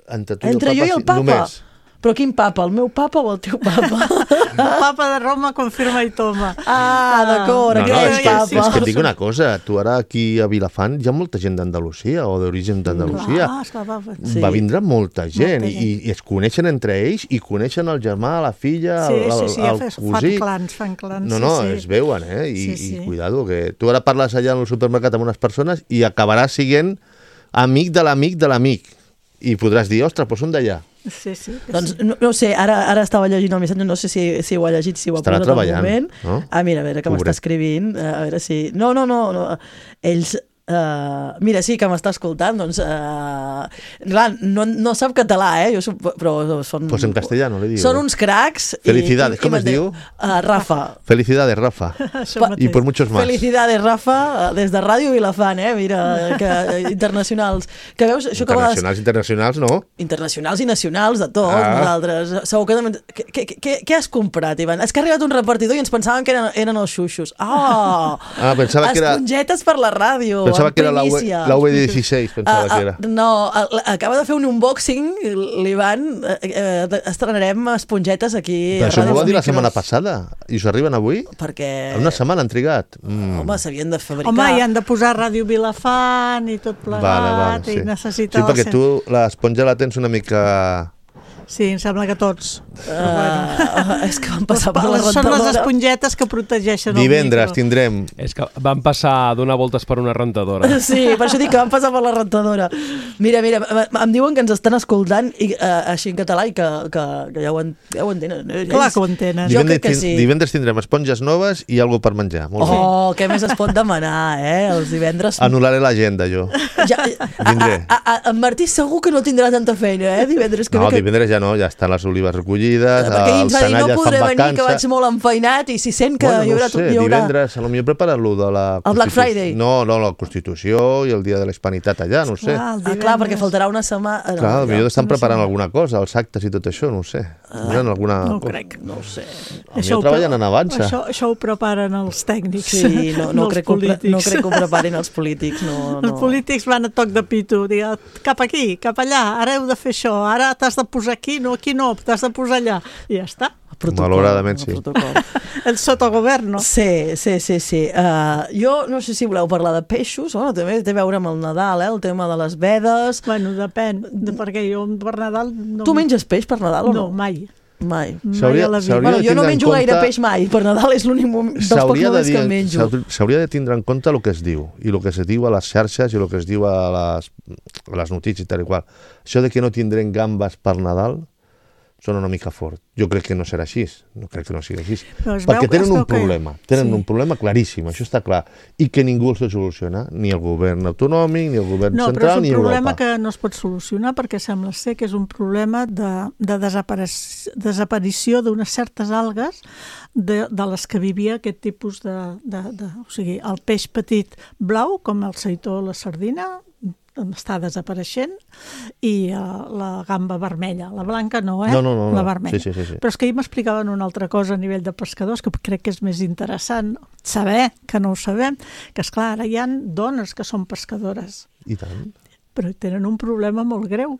Entre jo i el papa? Només. Però quin papa? El meu papa o el teu papa? El papa de Roma confirma i toma. D'acord, aquest papa. És que et dic una cosa, tu ara aquí a Vilafant hi ha molta gent d'Andalusia o d'origen d'Andalusia. Va vindre molta gent i es coneixen entre ells i coneixen el germà, la filla, el cosí. Fan clans. No, es veuen, i cuidado, que tu ara parles allà en el supermercat amb unes persones i acabaràs sent amic de l'amic. I podràs dir, ostres, però són d'allà. Sí. Doncs no sé, ara estava llegint el missatge, no sé si ho ha llegit, si ho ha posat al moment. No? Mira, a veure, que m'està escrivint, a veure si... No, ells... mira, sí, que m'està escoltant, doncs... clar, no sap català, però són... Pues en castellano, le digo. Són uns cracs... Felicidades, ¿cómo es diu? Rafa. Felicidades, Rafa. Y por muchos más. Felicidades, Rafa, des de Ràdio Vilafant, mira, que internacionals. Que veus, això internacionals, no? Internacionals i nacionals, de tot, nosaltres. Segur que... Què has comprat, Ivan? És que ha arribat un repartidor i ens pensaven que eren els xuxos. Pensava que era... Espongetes per la ràdio. Pensava que era la V16, pensava que era. No, acaba de fer un unboxing, l'Ivan, estrenarem espongetes aquí. Però això m'ho va dir la setmana passada, i us arriben avui? Perquè... Una setmana han trigat. Home, s'havien de fabricar. Home, hi han de posar Ràdio Vilafant i tot plegat, i necessita... Sí, perquè tu l'esponja la tens una mica... Sí, em sembla que tots. És que van passar per la rentadora. Són les espongetes que protegeixen el micro. Divendres tindrem... És que van passar a donar voltes per una rentadora. Sí, per això dic que van passar per la rentadora. Mira, em diuen que ens estan escoltant així en català i que ja ho entenen. Clar que ho entenen. Jo crec que sí. Divendres tindrem esponges noves i alguna per menjar. Què més es pot demanar, els divendres? Anul·laré l'agenda, jo. Vindré. En Martí segur que no tindrà tanta feina, divendres. No, divendres ja no, ja estan les olives recollides, perquè els Sanalles fan vacança. No podré venir, que vaig molt enfeinat, i si sent que hi haurà... divendres, potser preparar-lo de la... El Black Friday? No, la Constitució i el dia de la Hispanitat allà, no ho sé. Clar, perquè faltarà una setmana... Clar, potser estan preparant alguna cosa, els actes i tot això, no ho sé. No ho crec. No ho sé. Potser treballen en avança. Això ho preparen els tècnics. Sí, no crec que ho preparin els polítics. Els polítics van a toc de pito, cap aquí, cap allà, ara heu de fer això, ara t'has de posar aquí no, t'has de posar allà, i ja està. Malauradament sí. El sotogoverno. Sí. Jo no sé si voleu parlar de peixos, també té a veure amb el Nadal, el tema de les vedes. Bueno, depèn, perquè jo per Nadal... Tu menges peix per Nadal o no? No, mai. Jo no menjo gaire peix mai, per Nadal és l'únic dels pocs moments que menjo. S'hauria de tindre en compte el que es diu, i el que es diu a les xarxes i el que es diu a les notícies i tal i qual. Això de que no tindrem gambes per Nadal són una mica fort. Jo crec que no serà així, no crec que no sigui així. Perquè tenen un problema claríssim, això està clar, i que ningú el soluciona, ni el govern autonòmic, ni el govern central, ni Europa. No, però és un problema que no es pot solucionar perquè sembla ser que és un problema de desaparició d'unes certes algues de les que vivia aquest tipus o sigui, el peix petit blau, com el seitó o la sardina, està desapareixent, i la gamba vermella, la blanca no, la vermella. Sí. Però és que ahir m'explicaven una altra cosa a nivell de pescadors que crec que és més interessant saber, que no ho sabem, que esclar, ara hi ha dones que són pescadores. I tant. Però tenen un problema molt greu.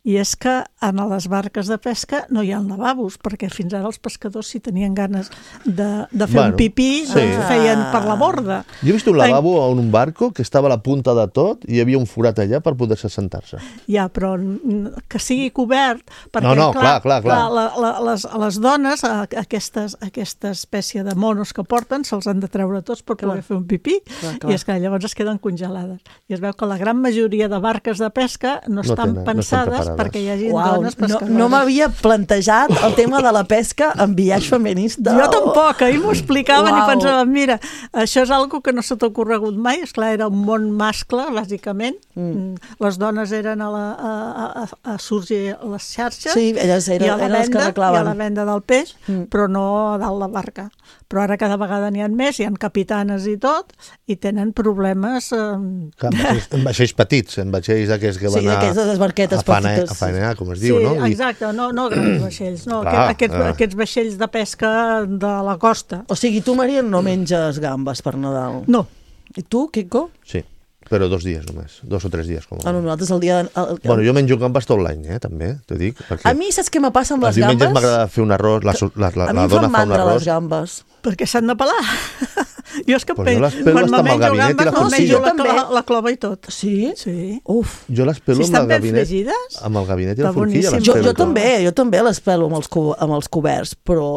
I és que en les barques de pesca no hi ha lavabos, perquè fins ara els pescadors, si tenien ganes de fer un pipí, feien per la borda. Jo he vist un lavabo en un barco que estava a la punta de tot i hi havia un forat allà per poder-se sentar-se. Ja, però que sigui cobert, perquè clar. Les dones, aquesta espècie de monos que porten, se'ls han de treure tots per poder fer un pipí, i és que llavors es queden congelades. I es veu que la gran majoria de barques de pesca no estan pensades perquè hi hagi Uau, dones pescadores. no m'havia plantejat el tema de la pesca en biaix feminista. Jo tampoc, ahir m'ho explicaven i Uau. pensava, mira, això és algo que no s'ha ocorregut mai, esclar, era un món mascle, bàsicament. Les dones eren a sorgir a les xarxes Sí, elles eren les que reclaven. i a la venda del peix, però no a dalt la barca. Però ara cada vegada n'hi ha més, hi ha capitanes i tot, i tenen problemes... En vaixells petits, en vaixells d'aquests que Sí, van d'aquestes barquetes petites. a faenar, com es diu, no? Sí, exacte, no grans vaixells, no, aquests vaixells de pesca de la costa. O sigui, tu, Maria, no menges gambes per Nadal? No. I tu, Quico? Sí, però 2 dies només, 2 o 3 dies. Com Ah, no, nosaltres el dia... Bueno, jo menjo gambes tot l'any, també, t'ho dic. A mi saps què me passa amb les Els diumenges gambes? m'agrada fer un arròs, la A mi dona em fan fa un mandra les arròs. gambes. Perquè s'han de pelar. Jo és que Pues jo les pelo quan hasta amb el menjo gabinet i la gambes, forquilla. menjo la clova i tot. Sí? Sí. Uf. Jo les pelo Si amb el estan ben gabinet. fregides, Amb el gabinet i la està forquilla. les boníssim. pelo Jo tot. també les pelo amb els coberts, però...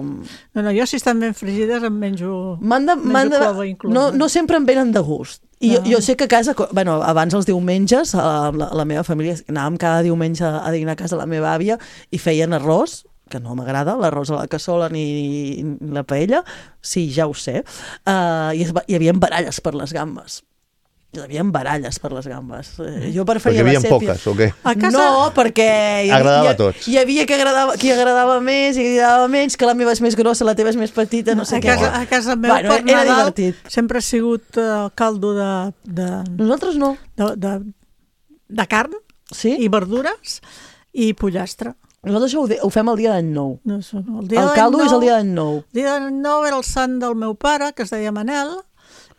No, jo si estan ben fregides em menjo clova inclosa. No sempre em venen de gust. I jo sé que a casa, bueno, abans els diumenges, la meva família, anàvem cada diumenge a dinar a casa de la meva àvia i feien arròs, que no m'agrada, l'arròs a la cassola ni la paella, sí, ja ho sé, i hi havia baralles per les gambes. Hi havia baralles per les gambes. Jo preferia Perquè hi la havia sèpia. poques, o què? A casa... No, perquè Agradava a tots. hi havia qui agradava més i agradava menys, que la meva és més grossa, la teva és més petita, no sé què. A casa meu, Bueno, per era Nadal, divertit. sempre ha sigut caldo de Nosaltres no. de carn i verdures i pollastre. Nosaltres ho fem el dia d'any nou. No, El caldo és el dia d'any nou. El dia d'any nou era el sant del meu pare, que es deia Manel,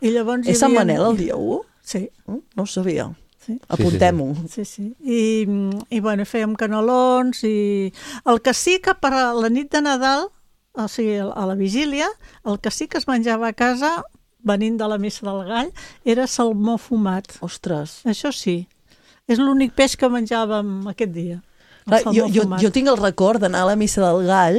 i llavors És Sant Manel el dia 1? Sí. No ho sabia. Sí. Apuntem-ho. Sí. I bueno, fèiem canelons i... El que sí que per a la nit de Nadal, o sigui, a la vigília, el que sí que es menjava a casa, venint de la missa del gall, era salmó fumat. Ostres. Això sí. És l'únic peix que menjàvem aquest dia. Jo tinc el record d'anar a la missa del gall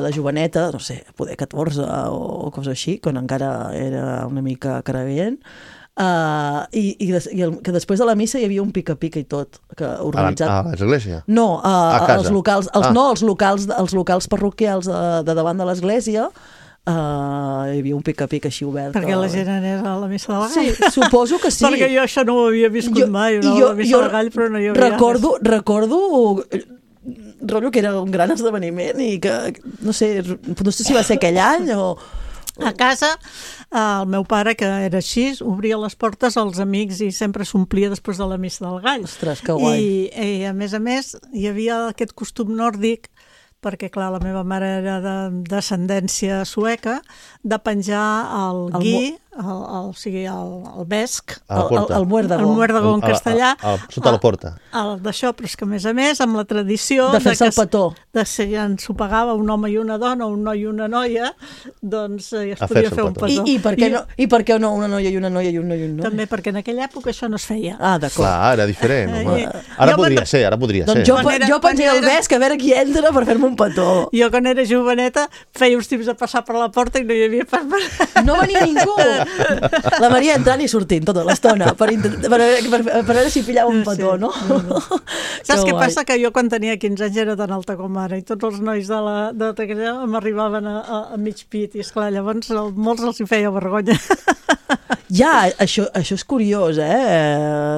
de joveneta, no sé, poder 14 o cosa així, quan encara era una mica caraguent, que després de la missa hi havia un pica-pica i tot, que organitzat... A l'església? No, a casa? Els locals parroquials de davant de l'església, hi havia un pica-pica així obert. Perquè la gent anés a la missa del gall? Sí, suposo que sí. Perquè jo això no ho havia viscut mai, a la missa del gall, però no hi havia... Recordo rotllo que era un gran esdeveniment i que, no sé si va ser aquell any o... A casa, el meu pare, que era així, obria les portes als amics i sempre s'omplia després de la missa del gall. Ostres, que guai. I a més, hi havia aquest costum nòrdic, perquè, clar, la meva mare era de descendència sueca, de penjar el gui, o sigui, el vesc, el muerdagó en castellà, sota la porta. D'això, però és que, a més, amb la tradició... De fer-se el petó. Si ens ho pagava un home i una dona, un noi i una noia, doncs es podia fer un petó. I per què no una noia i una noia i un noi i un noi? També perquè en aquella època això no es feia. Ah, d'acord. Clar, era diferent. Ara podria ser. Doncs jo penjaria el vesc a veure qui entra per fer-me un petó. Jo, quan era joveneta, feia uns tips de passar per la porta i no hi havia pas... No venia ningú! La Maria entrant i sortint tota l'estona per veure si pillava un petó, no? Saps què passa? Que jo quan tenia 15 anys era tan alta com ara i tots els nois de Taquera m'arribaven a mig pit i, esclar, llavors molts els hi feia vergonya. Ja, això és curiós,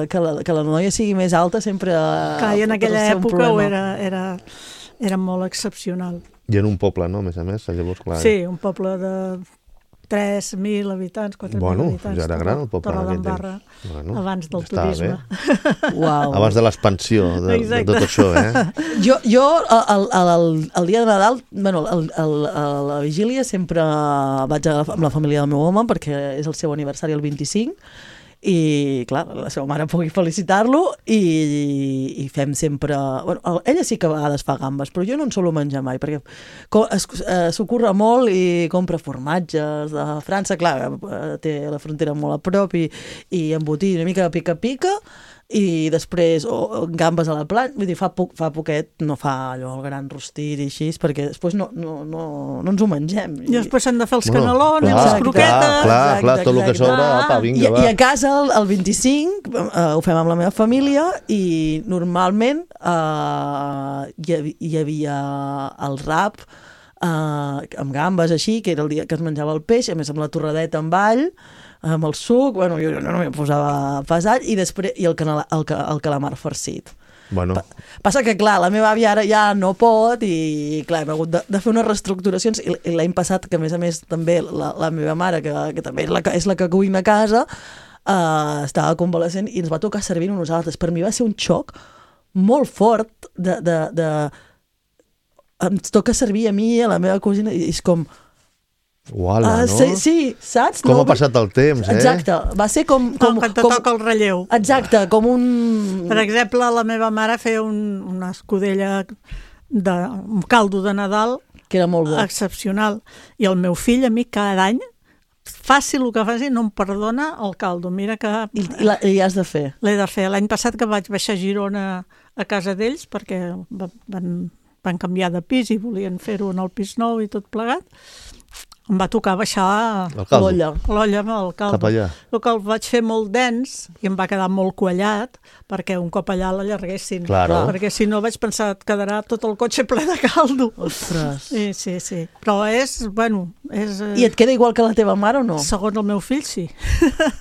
que la noia sigui més alta sempre... Clar, i en aquella època era molt excepcional. I en un poble, no? A més, llavors, clar... Sí, un poble de 3.000 habitants, 4.000 habitants. Bueno, ja era gran el poble. Torredembarra, abans del turisme. Uau. Abans de l'expansió de tot això, Jo, el dia de Nadal, a la vigília sempre vaig amb la família del meu home perquè és el seu aniversari el 25 i, clar, la seva mare pugui felicitar-lo i fem sempre... Bueno, ella sí que a vegades fa gambes, però jo no en solo menjar mai, perquè s'ho curra molt i compra formatges de França, clar, té la frontera molt a prop i embotir una mica de pica-pica, i després gambes a la planxa, vull dir, fa poquet, no fa allò el gran rostit i així, perquè després no ens ho mengem. I després s'han de fer els canelons i les croquetes. Clar, tot el que sobra, apa, vinga, va. I a casa, el 25, ho fem amb la meva família i normalment hi havia el rap amb gambes així, que era el dia que es menjava el peix, a més amb la torradeta amb all, amb el suc, bueno, jo no m'hi posava pesat, i després el calamar farcit. Bueno. Passa que, clar, la meva àvia ara ja no pot i, clar, hem hagut de fer unes reestructuracions i l'any passat, que a més també la meva mare, que també és la que cuina a casa, estava convalescent i ens va tocar servir a nosaltres. Per mi va ser un xoc molt fort ens toca servir a mi, a la meva cosina, i és com... Uala, no? Sí, saps? Com ha passat el temps, Exacte, va ser com quan te toca el relleu. Exacte, com un... Per exemple, la meva mare feia una escudella un caldo de Nadal que era molt bo, excepcional, i el meu fill a mi cada any, faci el que faci, no em perdona el caldo. Mira que... I has de fer. L'he de fer. L'any passat que vaig baixar a Girona a casa d'ells, perquè van canviar de pis i volien fer-ho en el pis nou i tot plegat, em va tocar baixar l'olla amb el caldo. Cap allà. El que el vaig fer molt dens i em va quedar molt quallat perquè un cop allà l'allarguessin. Claro. Perquè si no vaig pensar que quedarà tot el cotxe ple de caldo. Ostres. Sí. Però és... I et queda igual que la teva mare o no? Segons el meu fill, sí.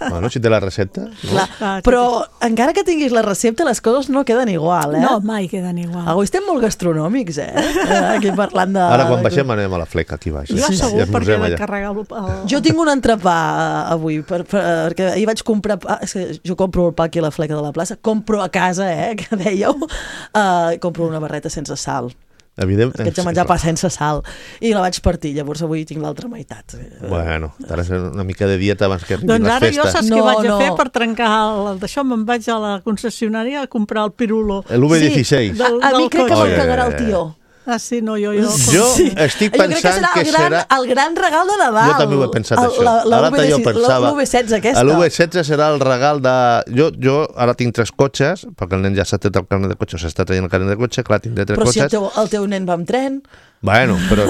Bueno, si té la recepta. No? Clar, però encara que tinguis la recepta, les coses no queden igual, No, mai queden igual. Avui estem molt gastronòmics, Aquí parlant de... Ara quan baixem anem a la fleca aquí baix. Jo segur, perquè carregar Jo tinc un entrepà avui perquè ahir vaig comprar jo compro el pa aquí a la fleca de la plaça, compro a casa, que dèieu, compro una barreta sense sal. Evident. Haig de menjar pa sense sal i la vaig partir, llavors avui tinc l'altra meitat. Bueno, ara és una mica de dieta abans que arribin doncs les festes. Doncs ara jo saps què vaig a fer per trencar d'això? Me'n vaig a la concessionària a comprar el pirulo. L'V16. A mi crec que me'n cagarà el tió. Ah, sí, no, jo estic pensant que serà el gran regal de Nadal. Jo també ho he pensat, això. Ara jo pensava, l'V16 aquesta. L'V16 serà el regal de... Jo ara tinc 3 cotxes, perquè el nen ja s'ha tret el carnet de cotxe, s'està traient el carnet de cotxe, clar, tindré 3 cotxes. Però si el teu nen va amb tren... Bueno, però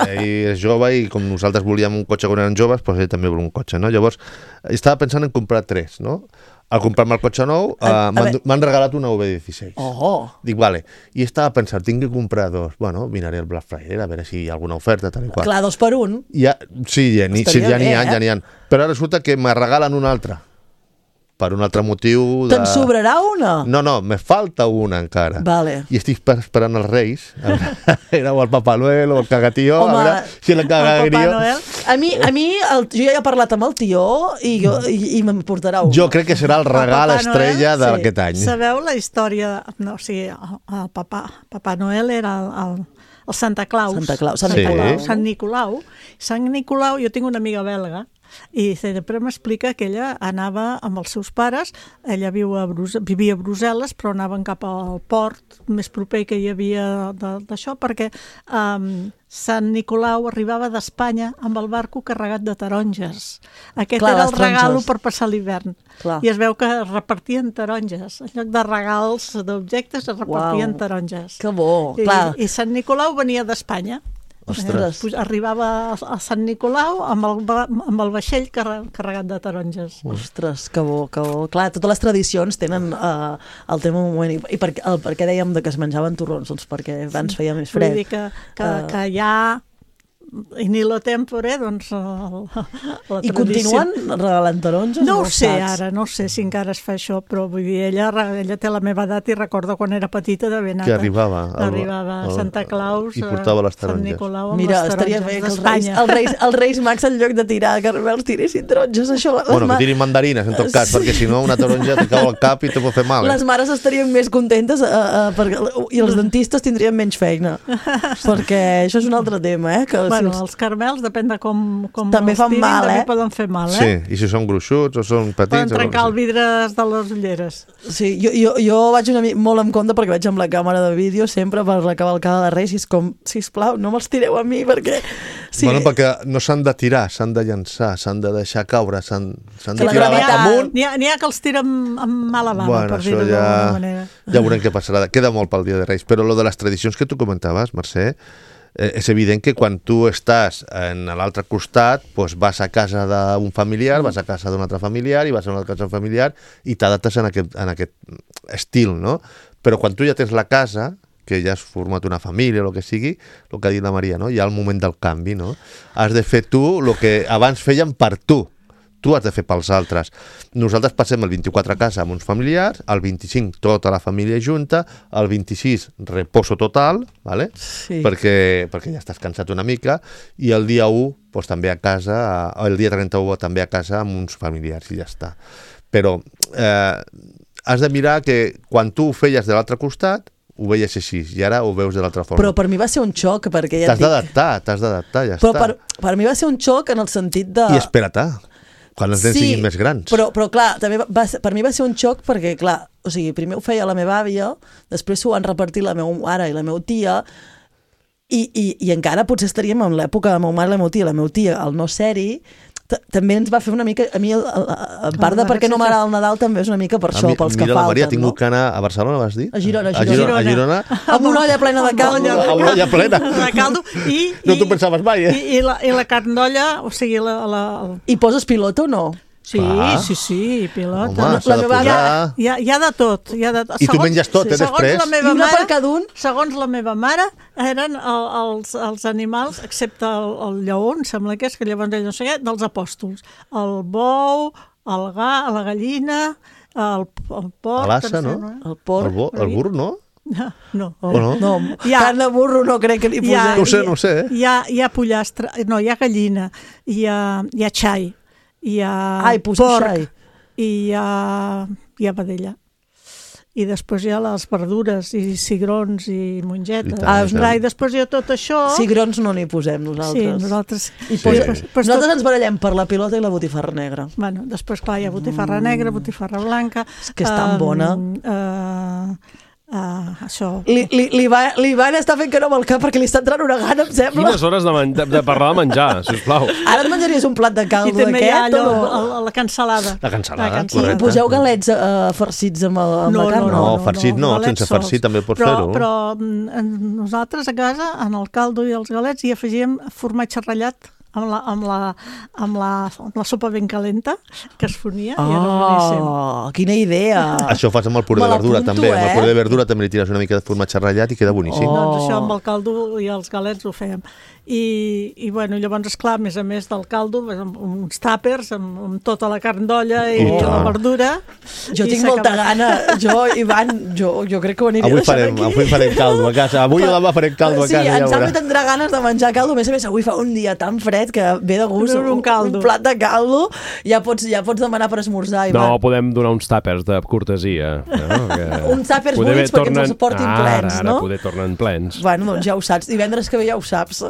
ell és jove i com nosaltres volíem un cotxe quan eren joves, doncs ell també vol un cotxe, no? Llavors, estava pensant en comprar 3, no? Al comprar-me el cotxe nou, m'han regalat una V16. Dic, vale. I estava pensant, tinc que comprar 2. Bueno, miraré el Black Friday, a veure si hi ha alguna oferta, tal i qual. Clar, 2 per 1. Sí, ja n'hi ha. Però resulta que me regalen una altra. Per un altre motiu... Te'n sobrarà una? No, me falta una encara. Vale. I estic esperant els Reis, o el Papa Noel o el cagatió, a veure si el cagatió... A mi jo ja he parlat amb el tió i me'n portarà una. Jo crec que serà el regal estrella d'aquest any. Sabeu la història... No, o sigui, el Papa Noel era el Santa Claus. Sant Nicolau. Sant Nicolau, jo tinc una amiga belga, i sempre m'explica que ella anava amb els seus pares, ella vivia a Brussel·les, però anaven cap al port més proper que hi havia d'això, perquè Sant Nicolau arribava d'Espanya amb el barco carregat de taronges. Aquest era el regalo per passar l'hivern. I es veu que repartien taronges. En lloc de regals d'objectes, es repartien taronges. Que bo, clar. I Sant Nicolau venia d'Espanya. Arribava a Sant Nicolau amb el vaixell carregat de taronges. Ostres, que bo. Clar, totes les tradicions tenen el tema un moment. I per què dèiem que es menjaven torrons? Doncs perquè abans feia més fred. Vull dir que ja... in lo tempore, doncs la I continuen regalant taronges? No ho sé ara, no sé si encara es fa això, però vull dir, ella té la meva edat i recorda quan era petita de ben que arribava Santa Claus i portava les taronges. Sant Nicolau amb Mira, les estaria bé taronges que els Reis Mags en lloc de tirar caramels tiressin taronges. Bueno, que tirin mandarines en tot cas, perquè si no una taronja te cau al cap i te pot fer mal. Les mares estarien més contentes i els dentistes tindrien menys feina, perquè això és un altre tema, Bueno, els caramels, depèn de com també els fan tirin, mal, també poden fer mal, Sí, i si són gruixuts o són petits... Poden trencar el vidre de les ulleres. Sí, jo vaig molt en compte perquè vaig amb la càmera de vídeo sempre per la cavalcada de Reis i és com, sisplau, no me'ls tireu a mi perquè Sí. Bueno, perquè no s'han de tirar, s'han de llançar, s'han de deixar caure, s'han de la tirar gravetat. amunt. N'hi ha que els tira amb mala bava, Bueno, per dir-ho d'alguna manera. ja veurem què passarà. Queda molt pel Dia de Reis. Però lo de les tradicions que tu comentaves, Mercè, és evident que quan tu estàs en l'altre costat, doncs vas a casa d'un familiar, vas a casa d'un altre familiar i vas a una altra casa familiar i t'adaptes en aquest estil, no? Però quan tu ja tens la casa, que ja has format una família o el que sigui, el que ha dit la Maria, no? Hi ha el moment del canvi, no? Has de fer tu el que abans feien per tu. Tu has de fer pels altres. Nosaltres passem el 24 a casa amb uns familiars, el 25 tota la família junta, el 26 reposo total, ¿vale? Sí. perquè ja estàs cansat una mica, i el dia 1 doncs, també a casa, el dia 31 també a casa amb uns familiars i ja està. Però has de mirar que quan tu ho feies de l'altre costat, ho veies així, i ara ho veus de l'altra forma. Però per mi va ser un xoc, perquè ja t'has d'adaptar, ja però està. per mi va ser un xoc en el sentit de... I espera-te, quan els nens siguin més grans. Però clar, també per mi va ser un xoc perquè, clar, o sigui, primer ho feia la meva àvia, després ho van repartir la meva mare i la meva tia, i encara potser estaríem en l'època de la meva mare i la meva tia. La meva tia, al no ser-hi, també ens va fer una mica... A mi, a part de perquè no m'agrada el Nadal, també és una mica per això, pels que falten. Mira, la Maria, ha tingut que anar a Barcelona, vas dir? A Girona. A Girona? Amb una olla plena de caldo. Amb una olla plena. De caldo. No t'ho pensaves mai, eh? I la carn d'olla, o sigui... I poses pilota o no? Sí, sí, pilota. Home, s'ha de posar... Hi ha de tot. I tu menges tot, després? I una per cada un? Segons la meva mare, eren els animals, excepte el lleó, em sembla que és, que llavors ell no sé què, dels apòstols. El bou, el la gallina, el porc... L'assa, no? El porc. El burro, no? No. No, carn de burro no crec que li posem. No sé, eh? Hi ha pollastre, no, hi ha gallina, hi ha xai, hi ha porc, i hi ha vedella. I després hi ha les verdures i cigrons i mongetes. I després hi ha tot això... Cigrons no n'hi posem nosaltres. Sí, nosaltres... Nosaltres ens barallem per la pilota i la botifarra negra. Bueno, després, clar, hi ha botifarra negra, botifarra blanca... És que és tan bona. Això... L'Ivan està fent que no amb el cap perquè li està entrant una gana, em sembla. Quines hores de parlar de menjar, sisplau. Ara et menjaries un plat de caldo d'aquest? I també hi ha allò, la cansalada. La cansalada, correcte. I poseu galets farcits amb la carn? No, farcit no, sense farcit també pots fer-ho. Però nosaltres a casa, en el caldo i els galets, hi afegíem formatge ratllat amb la sopa ben calenta que es fonia i era boníssim. Quina idea! Això ho fas amb el puré de verdura també. Amb el puré de verdura també li tires una mica de formatge ratllat i queda boníssim. Doncs això amb el caldo i els galets ho fèiem. I bueno, llavors, esclar, a més del caldo, amb uns tàpers, amb tota la carn d'olla i la verdura. Jo tinc molta gana. Ivan, jo crec que ho aniré deixant aquí. Avui farem caldo a casa. Avui o demà farem caldo a casa. Sí, en Salvi tindrà ganes de menjar caldo. A més, avui fa un dia tan fred que ve de gust un plat de caldo. Ja pots demanar per esmorzar, Ivan. No, podem donar uns tàpers de cortesia. Uns tàpers buits perquè ens els portin plens, no? Ara poder tornen plens. Bueno, doncs ja ho saps. Divendres que ve ja ho saps.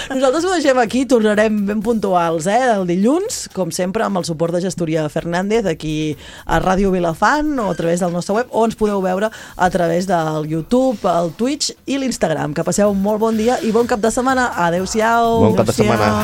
Nosaltres ho deixem aquí, tornarem ben puntuals, el dilluns, com sempre, amb el suport de Gestoria Fernández, aquí a Ràdio Vilafant, o a través del nostre web, o ens podeu veure a través del YouTube, el Twitch i l'Instagram. Que passeu un molt bon dia i bon cap de setmana. Adéu-siau. Bon cap de setmana.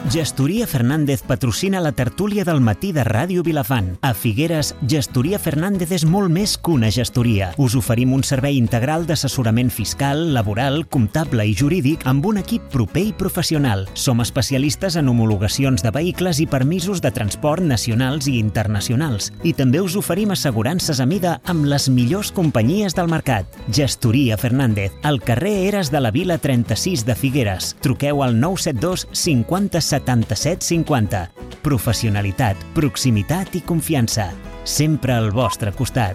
Gestoria Fernández patrocina la tertúlia del matí de Ràdio Vilafant. A Figueres, Gestoria Fernández és molt més que una gestoria. Us oferim un servei integral d'assessorament fiscal, laboral, comptable i jurídic amb un equip proper i professional. Som especialistes en homologacions de vehicles i permisos de transport nacionals i internacionals. I també us oferim assegurances a mida amb les millors companyies del mercat. Gestoria Fernández, al carrer Eres de la Vila 36 de Figueres. Truqueu al 972 50 77 50. Professionalitat, proximitat i confiança. Sempre al vostre costat.